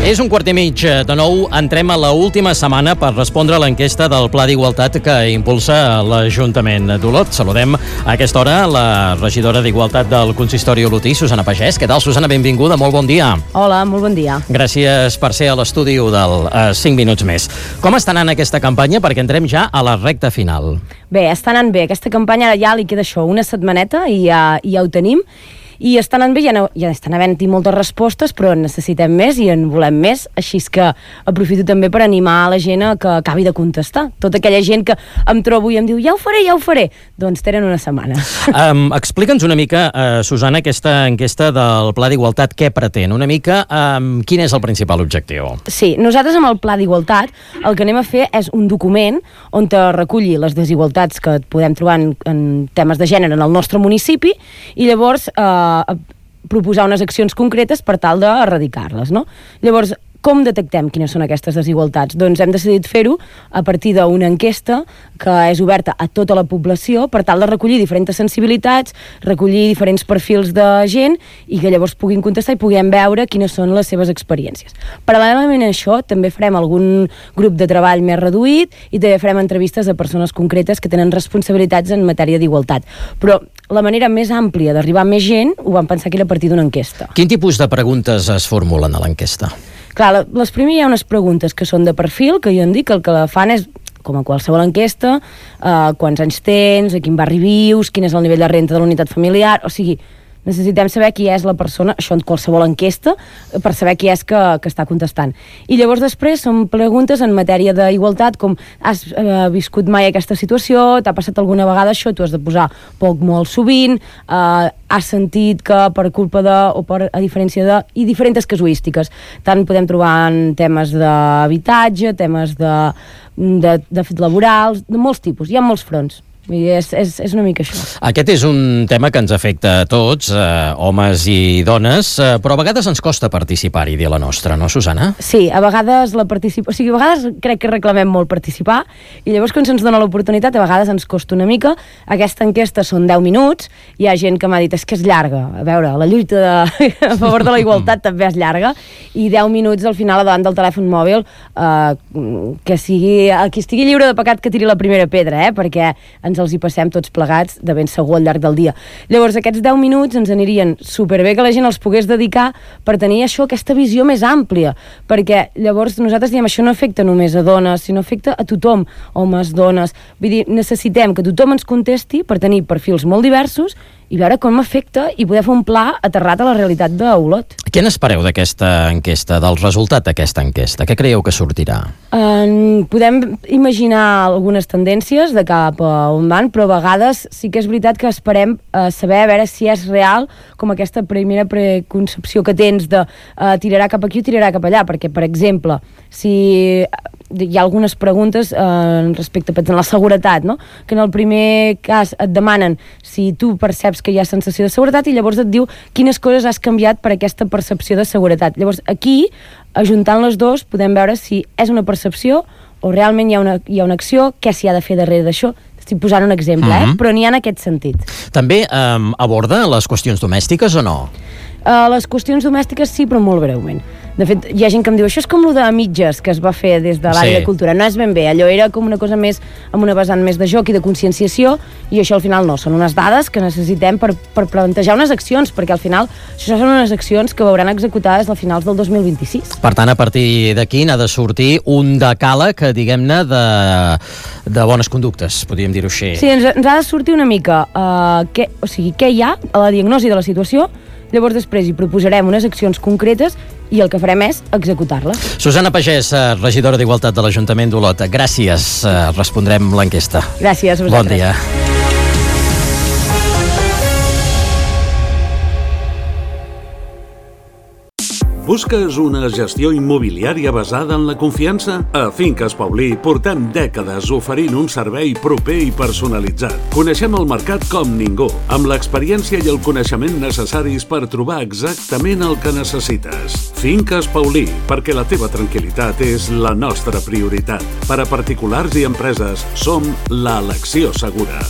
És un quart i mig de nou. Entrem a l'última setmana per respondre a l'enquesta del Pla d'Igualtat que impulsa l'Ajuntament d'Olot. Saludem a aquesta hora la regidora d'Igualtat del Consistori olotí, Susana Pagès. Què tal, Susana? Benvinguda, molt bon dia. Hola, molt bon dia. Gràcies per ser a l'estudi del 5 minuts més. Com està anant aquesta campanya? Perquè entrem ja a la recta final. Bé, està anant bé. Aquesta campanya ja li queda això, una setmaneta i ja ho tenim. I està anant bé, ja estan havent-hi moltes respostes, però en necessitem més i en volem més, així que aprofito també per animar la gent a que acabi de contestar. Tota aquella gent que em trobo i em diu ja ho faré, doncs tenen una setmana. Explica'ns una mica, Susana, aquesta enquesta del Pla d'Igualtat, què pretén? Una mica, quin és el principal objectiu? Sí, nosaltres amb el Pla d'Igualtat el que anem a fer és un document on te reculli les desigualtats que podem trobar en temes de gènere en el nostre municipi i llavors proposar unes accions concretes per tal d'erradicar-les, no? Llavors, com detectem quines són aquestes desigualtats? Doncs hem decidit fer-ho a partir d'una enquesta que és oberta a tota la població per tal de recollir diferents sensibilitats, recollir diferents perfils de gent i que llavors puguin contestar i puguem veure quines són les seves experiències. Paral·lelament a això, també farem algun grup de treball més reduït i també farem entrevistes a persones concretes que tenen responsabilitats en matèria d'igualtat. Però la manera més àmplia d'arribar a més gent ho vam pensar que era a partir d'una enquesta. Quin tipus de preguntes es formulen a l'enquesta? Clar, les primeres hi ha unes preguntes que són de perfil, que jo em dic que el que la fan és, com a qualsevol enquesta, quants anys tens, a quin barri vius, quin és el nivell de renda de la unitat familiar, o sigui, necessitem saber qui és la persona, això en qualsevol enquesta, per saber qui és que està contestant. I llavors després són preguntes en matèria d'igualtat, com has viscut mai aquesta situació, t'ha passat alguna vegada això, tu has de posar poc molt sovint, has sentit que per culpa de, o per a diferència de, i diferents casuístiques. Tant podem trobar en temes d'habitatge, temes de fet laborals, de molts tipus, hi ha molts fronts. És una mica això. Aquest és un tema que ens afecta a tots, homes i dones, però a vegades ens costa participar-hi, dir la nostra, no, Susana? Sí, a vegades a vegades crec que reclamem molt participar i llavors quan se'ns dona l'oportunitat a vegades ens costa una mica. Aquesta enquesta són 10 minuts, hi ha gent que m'ha dit és que és llarga, a veure, la lluita a favor de la igualtat també és llarga i 10 minuts al final davant del telèfon mòbil que sigui, qui estigui lliure de pecat que tiri la primera pedra, perquè ens els hi passem tots plegats de ben segur al llarg del dia. Llavors aquests 10 minuts ens anirien superbé que la gent els pogués dedicar per tenir això, aquesta visió més àmplia, perquè llavors nosaltres diem això no afecta només a dones, sinó afecta a tothom, homes, dones, vull dir, necessitem que tothom ens contesti per tenir perfils molt diversos i veure com afecta i poder fer un pla aterrat a la realitat d'Olot. Què n'espereu d'aquesta enquesta, del resultat d'aquesta enquesta? Què creieu que sortirà? Podem imaginar algunes tendències de cap a on van, però a vegades sí que és veritat que esperem saber a veure si és real com aquesta primera preconcepció que tens de tirarà cap aquí o tirarà cap allà, perquè, per exemple, si hi ha algunes preguntes respecte a la seguretat, no? Que en el primer cas et demanen si tu perceps que hi ha sensació de seguretat i llavors et diu quines coses has canviat per aquesta percepció de seguretat. Llavors aquí, ajuntant les dues, podem veure si és una percepció o realment hi ha una acció, què s'hi ha de fer darrere d'això. Estic posant un exemple, però n'hi ha en aquest sentit. També aborda les qüestions domèstiques o no? Les qüestions domèstiques sí, però molt breument. De fet, hi ha gent que em diu això és com lo de mitges que es va fer des de l'àrea de cultura. No és ben bé, allò era com una cosa més amb una vessant més de joc i de conscienciació i això al final no, són unes dades que necessitem per plantejar unes accions, perquè al final això són unes accions que veuran executades a finals del 2026. Per tant, a partir d'aquí n'ha de sortir un decàleg, diguem-ne, de bones conductes, podríem dir-ho així. Sí, ens ha de sortir una mica què hi ha a la diagnosi de la situació. Llavors després hi proposarem unes accions concretes i el que farem és executar-les. Susana Pagès, regidora d'Igualtat de l'Ajuntament d'Olot. Gràcies. Respondrem l'enquesta. Gràcies a vosaltres. Bon dia. Busques una gestió immobiliària basada en la confiança? A Finques Paulí portem dècades oferint un servei proper i personalitzat. Coneixem el mercat com ningú, amb l'experiència i el coneixement necessaris per trobar exactament el que necessites. Finques Paulí, perquè la teva tranquil·litat és la nostra prioritat. Per a particulars i empreses, som l'elecció segura.